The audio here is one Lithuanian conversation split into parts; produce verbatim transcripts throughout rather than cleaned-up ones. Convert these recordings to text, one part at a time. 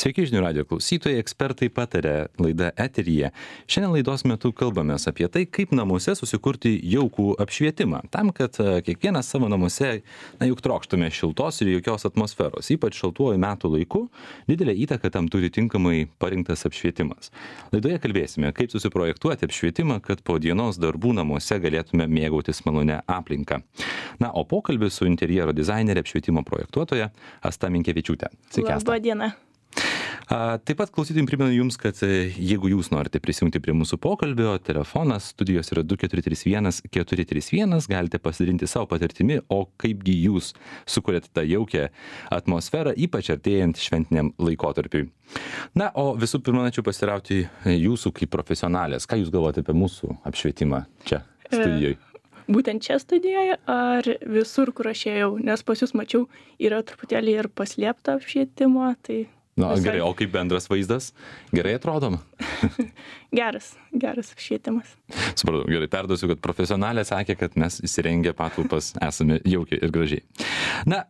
Sveiki žinių radio klausytojai, ekspertai patarė laida eteryje. Šiandien laidos metu kalbamės apie tai, kaip namuose susikurti jaukų apšvietimą. Tam, kad kiekvienas savo namuose, na juk trokštume šiltos ir jaukios atmosferos, ypač šaltuoju metų laiku, didelę įtaką tam turi tinkamai parinktas apšvietimas. Laidoje kalbėsime, kaip susiprojektuoti apšvietimą, kad po dienos darbų namuose galėtume mėgautis malonę aplinką. Na, o pokalbis su interjero dizainerė apšvietimo projektuotoja Asta Minkevičiūtė. Sveiki, Asta. Labą dieną. A, taip pat klausytojams primenu jums, kad e, jeigu jūs norite prisijungti prie mūsų pokalbio, telefonas studijos yra du keturi trys vienas keturi trys vienas, galite pasidalinti savo patirtimi, o kaipgi jūs sukuriate tą jaukią atmosferą, ypač artėjant šventiniam laikotarpiui. Na, o visų pirma, norėčiau pasiteirauti jūsų kaip profesionalės. Ką jūs galvojate apie mūsų apšvietimą čia studijoje? Būtent čia studijoje ar visur, kur aš ėjau, nes pas jūs mačiau, yra truputėlį ir paslėpta apšvietimo, tai... Na, visai... gerai, o kaip bendras vaizdas? Gerai atrodom? geras, geras apšvietimas. Supratau, gerai, perduosiu, kad profesionalė sakė, kad mes įsirengę patalpas esame jaukiai ir gražiai. Na,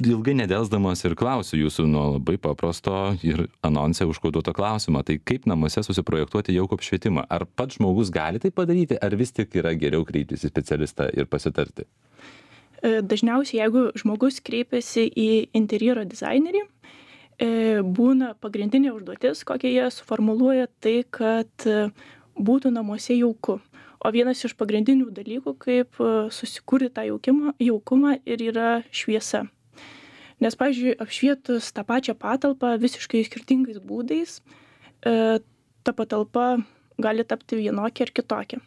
ilgai nedelsdamas ir klausiu jūsų nuo labai paprasto ir anonse užkoduoto klausimo. Tai kaip namuose susiprojektuoti jaukų apšvietimą? Ar pats žmogus gali tai padaryti, ar vis tik yra geriau kreiptis į specialistą ir pasitarti? Dažniausiai, jeigu žmogus kreipiasi į interjero dizainerį, būna pagrindinė užduotis, kokią jie suformuluoja, tai, kad būtų namuose jauku. O vienas iš pagrindinių dalykų, kaip susikurti tą jaukimą, jaukumą ir yra šviesa. Nes, pavyzdžiui, apšvietus tą pačią patalpą visiškai skirtingais būdais, ta patalpa gali tapti vienokia ar kitokia.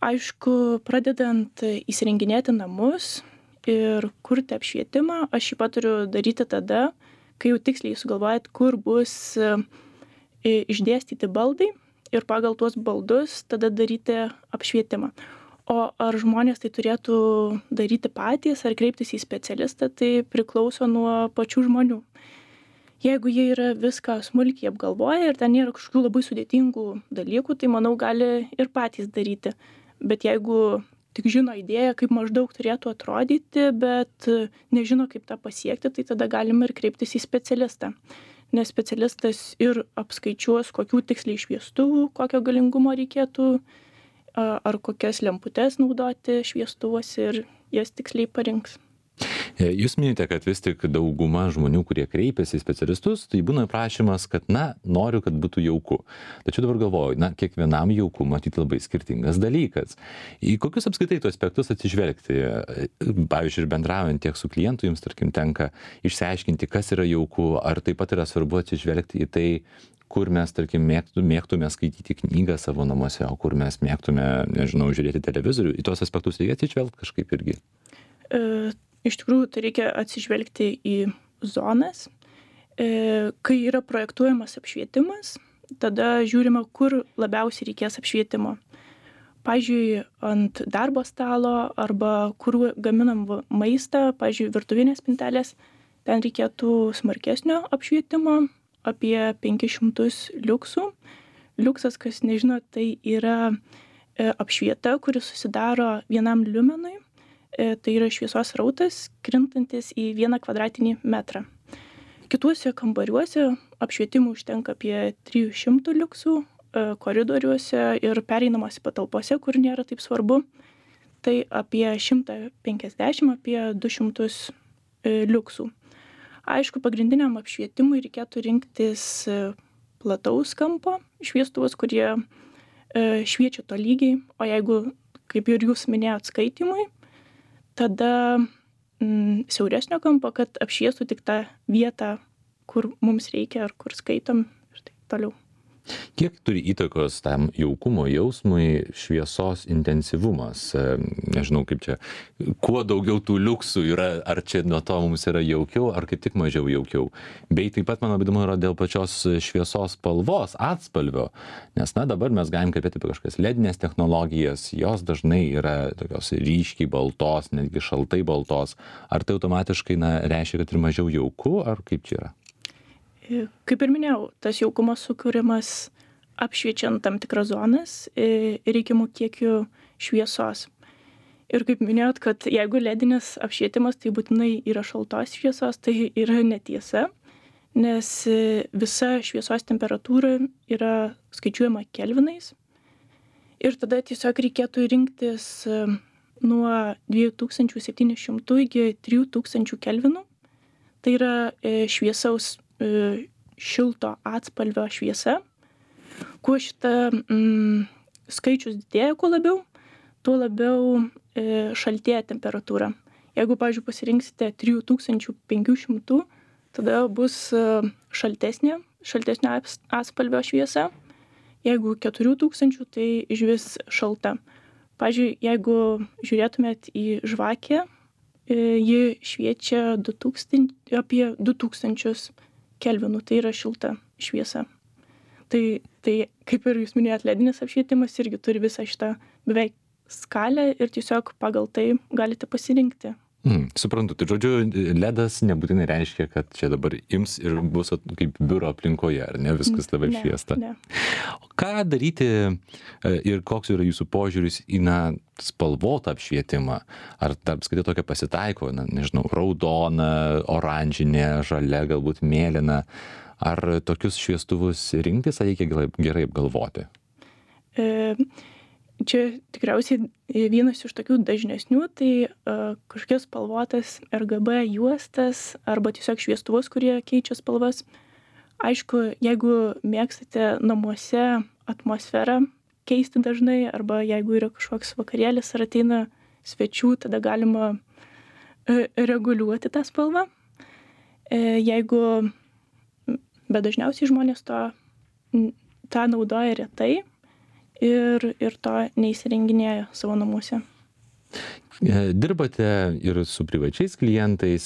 Aišku, pradedant įsirenginėti namus ir kurti apšvietimą, aš jį paturiu daryti tada, kai jau tiksliai sugalvojat, kur bus išdėstyti baldai ir pagal tuos baldus tada daryti apšvietimą. O ar žmonės tai turėtų daryti patys ar kreiptis į specialistą, tai priklauso nuo pačių žmonių. Jeigu jie yra viską smulkiai apgalvoję ir ten nėra kažkokių labai sudėtingų dalykų, tai manau gali ir patys daryti. Bet jeigu tik žino idėją, kaip maždaug turėtų atrodyti, bet nežino, kaip tą pasiekti, tai tada galima ir kreiptis į specialistą. Nes specialistas ir apskaičiuos, kokių tiksliai šviestuvų, kokio galingumo reikėtų, ar kokias lemputes naudoti šviestuvuose ir jas tiksliai parinks. Jūs minite, kad vis tik dauguma žmonių, kurie kreipiasi į specialistus, tai būna prašymas, kad, na, noriu, kad būtų jauku. Tačiau dabar galvoju, na, kiekvienam jauku matyti labai skirtingas dalykas. Į kokius apskritai tų aspektus atsižvelgti? Pavyzdžiui, ir bendraujant tiek su klientu, jums, tarkim, tenka išsiaiškinti, kas yra jauku, ar taip pat yra svarbu atsižvelgti į tai, kur mes, tarkim, mėgtume, mėgtume skaityti knygą savo namuose, o kur mes mėgtume, nežinau, žiūrėti televizorių. Į tos aspektus reikia atsižvelgti kažkaip irgi. E... Iš tikrųjų, tai reikia atsižvelgti į zonas. Kai yra projektuojamas apšvietimas, tada žiūrima, kur labiausiai reikės apšvietimo. Pavyzdžiui, ant darbo stalo arba kur gaminam maistą, pavyzdžiui, virtuvinės spintelės, ten reikėtų smarkesnio apšvietimo, apie penkis šimtus liuksų. Liuksas, kas nežino, tai yra apšvieta, kuri susidaro vienam liumenui. Tai yra šviesos srautas, krintantis į vieną kvadratinį metrą. Kituose kambariuose apšvietimų užtenka apie trijų šimtų liuksų, koridoriuose ir pereinamose patalpose, kur nėra taip svarbu, tai apie šimtą penkiasdešimt, apie du šimtus liuksų. Aišku, pagrindiniam apšvietimui reikėtų rinktis plataus kampo šviestuvus, kurie šviečia tolygiai, o jeigu, kaip ir jūs minėjot, skaitimui, tada mm, siauresnio kampo, kad apšviestų tik tą vietą, kur mums reikia ar kur skaitom ir taip toliau. Kiek turi įtakos tam jaukumo jausmui šviesos intensyvumas? Nežinau, kaip čia, kuo daugiau tų liuksų yra, ar čia nuo to mums yra jaukiau, ar kaip tik mažiau jaukiau. Bei taip pat, man įdomu, yra dėl pačios šviesos spalvos, atspalvio, nes, na, dabar mes galim kalbėti apie kažkokias ledinės technologijas, jos dažnai yra tokios ryškiai baltos, netgi šaltai baltos. Ar tai automatiškai, na, reiškia, kad ir mažiau jauku, ar kaip čia yra? Kaip ir minėjau, tas jaukumas sukūrimas apšviečiant tam tikras zonas reikiamų kiekių šviesos. Ir kaip minėjot, kad jeigu ledinis apšvietimas, tai būtinai yra šaltos šviesos, tai yra netiesa, nes visa šviesos temperatūra yra skaičiuojama kelvinais. Ir tada tiesiog reikėtų rinktis nuo dviejų tūkstančių septynių šimtų iki trijų tūkstančių kelvinų. Tai yra šviesaus šilto atspalvio šviesa. Kuo šita mm, skaičius didėja, kuo labiau, tuo labiau e, šaltėja temperatūra. Jeigu, pavyzdžiui, pasirinksite trijų tūkstančių penkių šimtų, tada bus šaltesnė, šaltesnio atspalvio šviesa. Jeigu keturių tūkstančių, tai išvis šalta. Pavyzdžiui, jeigu žiūrėtumėt į žvakę, ji šviečia du tūkstančius, apie du tūkstančius kelvinų, tai yra šilta šviesa. Tai, tai kaip ir jūs minėjot, ledinis apšvietimas irgi turi visą šitą beveik skalę ir tiesiog pagal tai galite pasirinkti. Mm, suprantu, tai žodžiu, ledas nebūtinai reiškia, kad čia dabar ims ir bus kaip biuro aplinkoje, ar ne, viskas labai apšviesta. Ne, ne. Ką daryti ir koks yra jūsų požiūris į na, spalvotą apšvietimą? Ar tarp skaitai tokia pasitaiko, na, nežinau, raudona, oranžinė, žalia, galbūt mėlyna? Ar tokius šviestuvus rinktis, ar reikia gerai apgalvoti? E... Čia tikriausiai vienas iš tokių dažnesnių, tai uh, kažkokias spalvotas R G B juostas arba tiesiog šviestuvus, kurie keičia spalvas. Aišku, jeigu mėgstate namuose atmosferą keisti dažnai arba jeigu yra kažkoks vakarėlis ar ateina svečių, tada galima uh, reguliuoti tą spalvą. Uh, jeigu, bet dažniausiai žmonės to, tą naudoja retai. Ir, ir to neįsirenginėja savo namuose. Dirbate ir su privačiais klientais.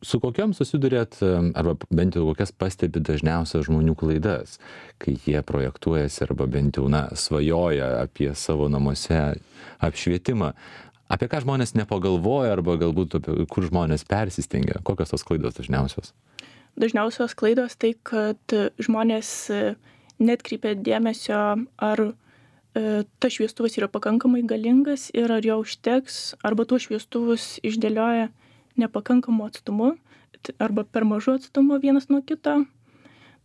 Su kokiam susidurėt, arba bent jau kokias pastebi dažniausias žmonių klaidas, kai jie projektuojasi arba bent jau na, svajoja apie savo namuose apšvietimą? Apie ką žmonės nepagalvoja arba galbūt apie kur žmonės persistengia? Kokios tos klaidos dažniausios? Dažniausios klaidos tai, kad žmonės netkreipia dėmesio, ar e, tas šviestuvas yra pakankamai galingas ir ar jo užteks, arba tuos šviestuvus išdėlioja nepakankamu atstumu, arba per mažu atstumu vienas nuo kito.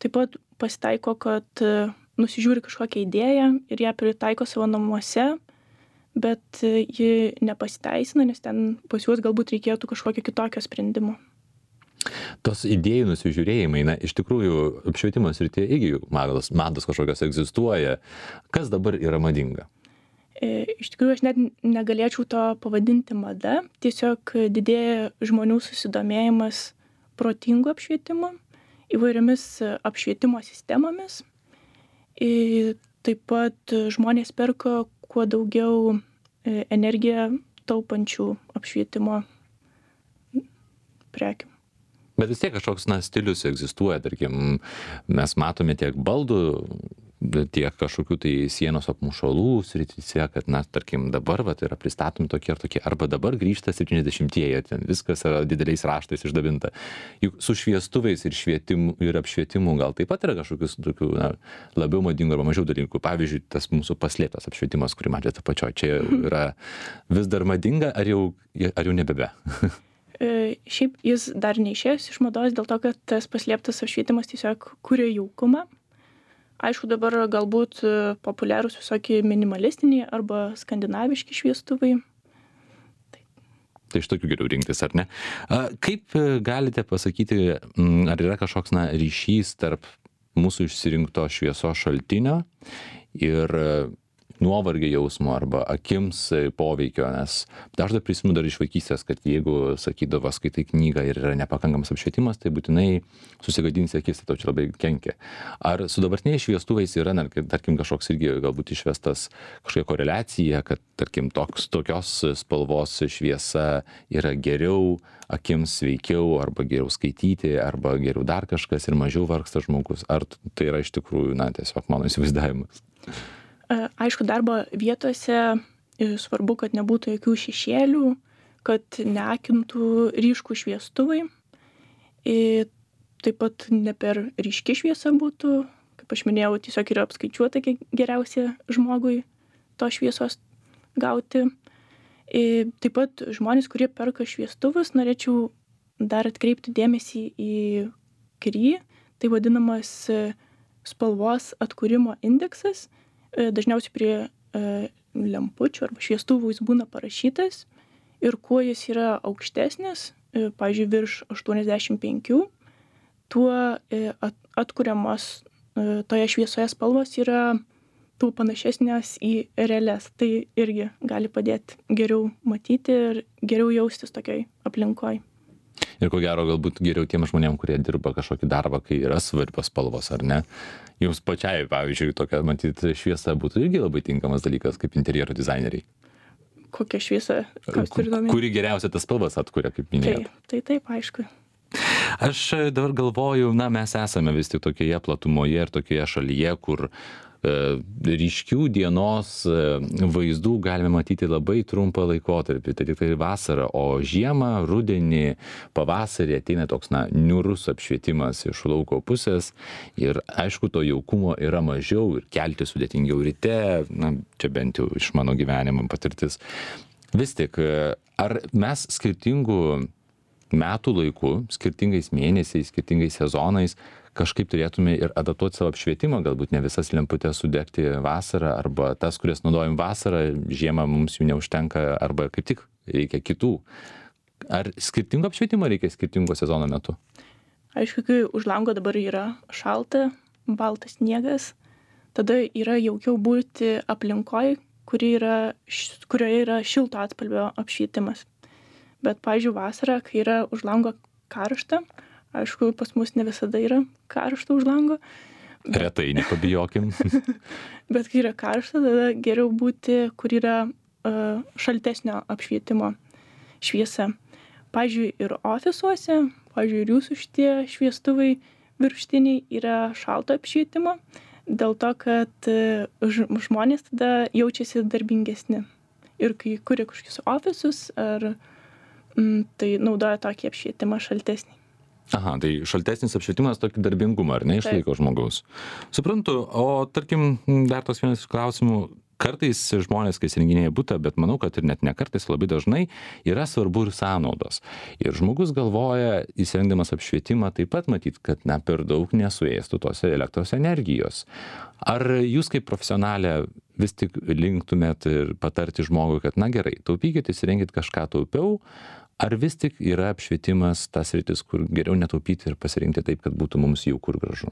Taip pat pasitaiko, kad e, nusižiūri kažkokią idėją ir ją pritaiko savo namuose, bet e, ji nepasiteisina, nes ten pas juos galbūt reikėtų kažkokio kitokio sprendimo. Tos idėjų nusižiūrėjimai, na, iš tikrųjų, apšvietimo srityje irgi mados, mados kažkokios egzistuoja. Kas dabar yra madinga? E, iš tikrųjų, aš net negalėčiau to pavadinti mada. Tiesiog didėja žmonių susidomėjimas protingu apšvietimu, įvairiomis apšvietimo sistemomis. E, taip pat žmonės perka kuo daugiau energiją taupančių apšvietimo prekių. Bet vis tiek kažkoks na, stilius egzistuoja, tarkim, mes matome tiek baldų, tiek kažkokių tai sienos apmušalų srityse, kad, na, tarkim, dabar vat, yra pristatomi tokie ir tokie, arba dabar grįžta septyniasdešimtieji, ten viskas yra dideliais raštais išdabinta. Juk su šviestuvais ir, švietimu, ir apšvietimu gal taip pat yra kažkokius tokių, na, labiau madingų arba mažiau dalykų. Pavyzdžiui, tas mūsų paslėptas apšvietimas, kurį matėte apačioje, čia yra vis dar madinga, ar jau, ar jau nebebe? Šiaip jis dar neišėjęs iš mados dėl to, kad tas paslėptas apšvietimas tiesiog kuria jaukumą. Aišku, dabar galbūt populiarūs visokie minimalistiniai arba skandinaviški šviestuvai. Tai, tai iš tokių geriau rinktis, ar ne? Kaip galite pasakyti, ar yra kažkoks na, ryšys tarp mūsų išsirinkto šviesos šaltinio ir nuovargio jausmo arba akims poveikio, nes dažnai prisimenu dar iš vaikystės, kad jeigu sakydavo, skaitai knygą ir yra nepakankamas apšvietimas, tai būtinai susigadinsi akis, tai tau čia labai kenkia. Ar su dabartiniais šviestuvais yra, na, tarkim, kažkoks irgi galbūt išvestas kažkokia koreliacija, kad, tarkim, toks, tokios spalvos šviesa yra geriau, akims sveikiau, arba geriau skaityti, arba geriau dar kažkas ir mažiau vargsta žmogus? Ar tai yra iš tikrųjų, na, tiesiog mano įsivaizdavimas? Aišku, darbo vietose svarbu, kad nebūtų jokių šešėlių, kad neakintų ryškų šviestuvai. Taip pat ne per ryški šviesa būtų, kaip aš minėjau, tiesiog yra apskaičiuota, kiek geriausia žmogui to šviesos gauti. Taip pat žmonės, kurie perka šviestuvus, norėčiau dar atkreipti dėmesį į Curie, tai vadinamas spalvos atkūrimo indeksas. Dažniausiai prie lempučių arba šviestuvų jis būna parašytas ir kuo jis yra aukštesnis, pavyzdžiui, virš aštuoniasdešimt penki, tuo atkuriamos toje šviesoje spalvos yra tų panašesnės į realias. Tai irgi gali padėti geriau matyti ir geriau jaustis tokioj aplinkoj. Ir ko gero, galbūt geriau tiem žmonėm, kurie dirba kažkokį darbą, kai yra svarbios spalvos, ar ne? Jums pačiai, pavyzdžiui, tokia, matyt, šviesa būtų irgi labai tinkamas dalykas kaip interjero dizaineriai. Kokia šviesa? Kuri geriausia tas spalvas atkuria, kaip minėjot? Tai, tai taip, aišku. Aš dabar galvoju, na, mes esame vis tik tokioje platumoje ir tokioje šalyje, kur ryškių dienos vaizdų galime matyti labai trumpą laikotarpį, tai tik tai vasarą, o žiemą, rudenį, pavasarį ateina toks, na, niūrus apšvietimas iš lauko pusės ir aišku, to jaukumo yra mažiau ir kelti sudėtingiau ryte, na, čia bent jau iš mano gyvenimo patirtis. Vis tik, ar mes skirtingų metų laiku, skirtingais mėnesiais, skirtingais sezonais kažkaip turėtume ir adaptuoti savo apšvietimą, galbūt ne visas lemputės sudegti vasarą, arba tas, kurias naudojam vasarą, žiemą mums jų neužtenka, arba kaip tik reikia kitų. Ar skirtingo apšvietimo reikia skirtingo sezono metu? Aišku, kai už lango dabar yra šalta, baltas sniegas, tada yra jaukiau būti aplinkoj, kuri yra, kurioje yra šilto atspalvio apšvietimas. Bet, pavyzdžiui, vasarą, kai yra už lango karšta, aišku, pas mus ne visada yra karšta už lango. Bet... Retai, nepabijokim. Bet kai yra karšta, tada geriau būti, kur yra uh, šaltesnio apšvietimo šviesa. Pavyzdžiui, ir ofisuose, pavyzdžiui, ir jūsų šitie šviestuvai virštiniai yra šalto apšvietimo, dėl to, kad uh, žmonės tada jaučiasi darbingesni. Ir kai kuria kažkokius ofisus, ar mm, tai naudoja tokį apšvietimą šaltesnį. Aha, tai šaltesnis apšvietimas tokį darbingumą, ar ne, išlaiko žmogaus. Suprantu, o tarkim, dar tos vienas klausimų, kartais žmonės, kai įsirenginėja butą, bet manau, kad ir net ne kartais, labai dažnai yra svarbu ir sąnaudos. Ir žmogus galvoja, įsirengdamas apšvietimą, taip pat matyt, kad na, per daug nesuėstų tos elektros energijos. Ar jūs kaip profesionalė vis tik linktumėt ir patarti žmogui, kad na gerai, taupykit, įsirenkit kažką taupiau, ar vis tik yra apšvietimas tas sritis, kur geriau netaupyti ir pasirinkti taip, kad būtų mums jauku ir gražu?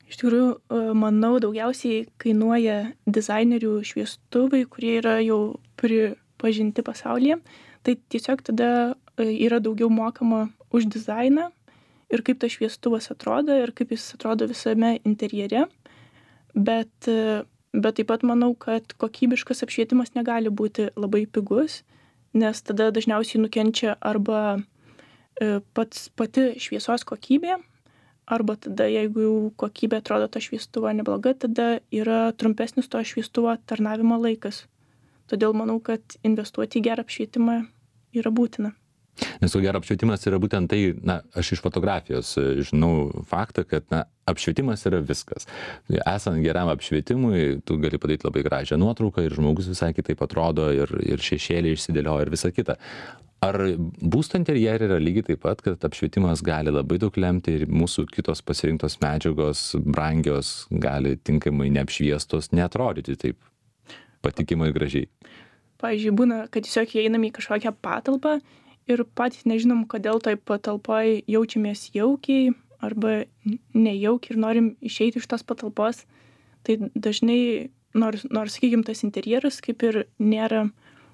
Iš tikrųjų, manau, daugiausiai kainuoja dizainerių šviestuvai, kurie yra jau pripažinti pasaulyje. Tai tiesiog tada yra daugiau mokama už dizainą ir kaip tas šviestuvas atrodo ir kaip jis atrodo visame interjere. Bet, bet taip pat manau, kad kokybiškas apšvietimas negali būti labai pigus, nes tada dažniausiai nukenčia arba pats, pati šviesos kokybė, arba tada, jeigu jau kokybė atrodo to šviestuvo nebloga, tada yra trumpesnis to šviestuvo tarnavimo laikas. Todėl manau, kad investuoti į gerą apšvietimą yra būtina. Nes ko gero apšvietimas yra būtent tai, na, aš iš fotografijos žinau faktą, kad na, apšvietimas yra viskas. Esant geram apšvietimui, tu gali padaryti labai gražią nuotrauką ir žmogus visai kitaip atrodo ir, ir šešėlį išsidėlioja ir visa kita. Ar būsto interjere yra lygiai taip pat, kad apšvietimas gali labai daug lemti ir mūsų kitos pasirinktos medžiagos, brangios, gali tinkamai neapšviestos, neatrodyti taip patikimai gražiai? Pavyzdžiui, būna, kad tiesiog įeiname į kažkokią patalpą ir patys nežinom, kodėl toj patalpoj jaučiamės jaukiai arba nejaukiai ir norim išeiti iš tos patalpos. Tai dažnai, nors, nors sakykim, tas interjeras kaip ir nėra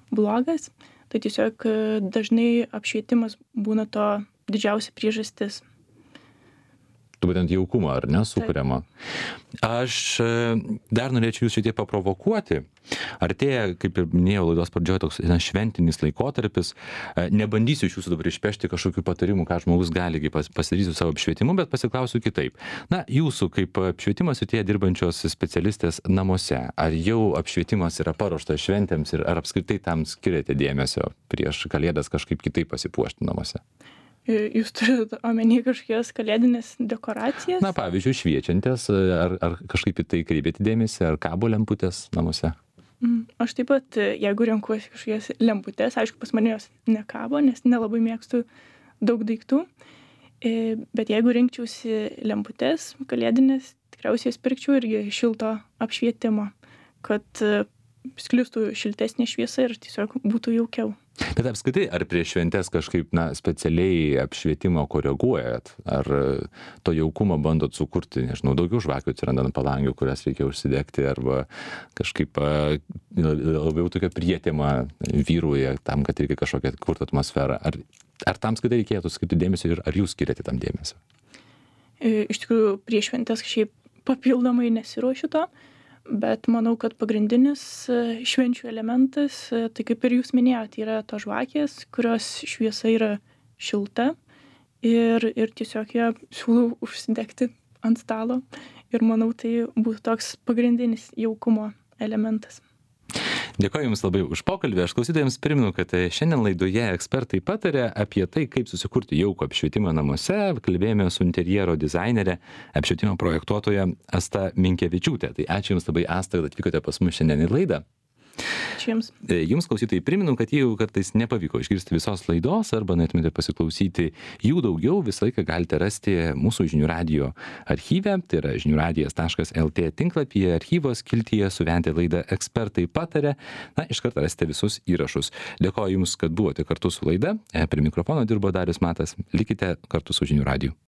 blogas, tai tiesiog dažnai apšvietimas būna to didžiausia priežastis. Būtent jaukumą, ar ne, sukuriama. Aš dar norėčiau jūs šiek tiek paprovokuoti. Artėja, kaip ir minėjau laidos pradžioje, toks na, šventinis laikotarpis. Nebandysiu iš jūsų dabar išpešti kažkokių patarimų, ką žmogus gali pasidaryti su savo apšvietimu, bet pasiklausiu kitaip. Na, jūsų kaip apšvietimas ir tie dirbančios specialistės namuose, ar jau apšvietimas yra paruoštas šventėms ir ar apskritai tam skiriate dėmesio prieš kalėdas kažkaip kitaip pasipuošti namuose? Jūs turite omeny kažkokias kalėdinės dekoracijas? Na, pavyzdžiui, šviečiantis, ar, ar kažkaip į tai kreipėte dėmesį, ar kabo lemputės namuose? Aš taip pat, jeigu renkuosi kažkokias lemputės, aišku, pas mane jos nekabo, nes nelabai mėgstu daug daiktų. E, Bet jeigu rinkčiausi lemputes kalėdinės, tikriausiai jas pirkčiau irgi šilto apšvietimo, kad e, sklistų šiltesnė šviesa ir tiesiog būtų jaukiau. Bet apskritai, ar prieš šventes kažkaip, na, specialiai apšvietimą koreguojat? Ar to jaukumo bandot sukurti, nežinau, daugiau žvakių atsiranda ant palangių, kurias reikia užsidegti, arba kažkaip a, labiau tokia prietema vyruoja tam, kad reikia kažkokią kurti atmosferą? Ar, ar tam skaitai reikėtų skirti dėmesio ir ar jūs skiriate tam dėmesio? E, Iš tikrųjų, prieš šventes kažkaip papildomai nesiruošiu to, bet manau, kad pagrindinis e, švenčių elementas, e, tai kaip ir jūs minėjote, yra tos žvakės, kurios šviesa yra šilta ir, ir tiesiog ją siūlau užsidegti ant stalo ir manau, tai būtų toks pagrindinis jaukumo elementas. Dėkoju Jums labai už pokalbį. Aš klausytojams priminu, kad šiandien laidoje ekspertai patarė apie tai, kaip susikurti jaukų apšvietimą namuose. Kalbėjome su interjero dizainerė, apšvietimo projektuotoja Asta Minkevičiūtė. Tai ačiū Jums labai, Asta, kad atvykote pas mus šiandien į laidą. Ačiū Jums. Jums klausytojai priminu, kad jeigu kartais nepavyko išgirsti visos laidos arba norėtumėte pasiklausyti jų daugiau, visą laiką galite rasti mūsų žinių radijo archyve, tai yra žinių radijas taškas lt tinklapyje, archyvo skiltyje suvelti laidą ekspertai patarė. Na, iš karto rasite visus įrašus. Dėkoju Jums, kad buvote kartu su laida. Prie mikrofono dirbo Darius Matas. Likite kartu su žinių radiju.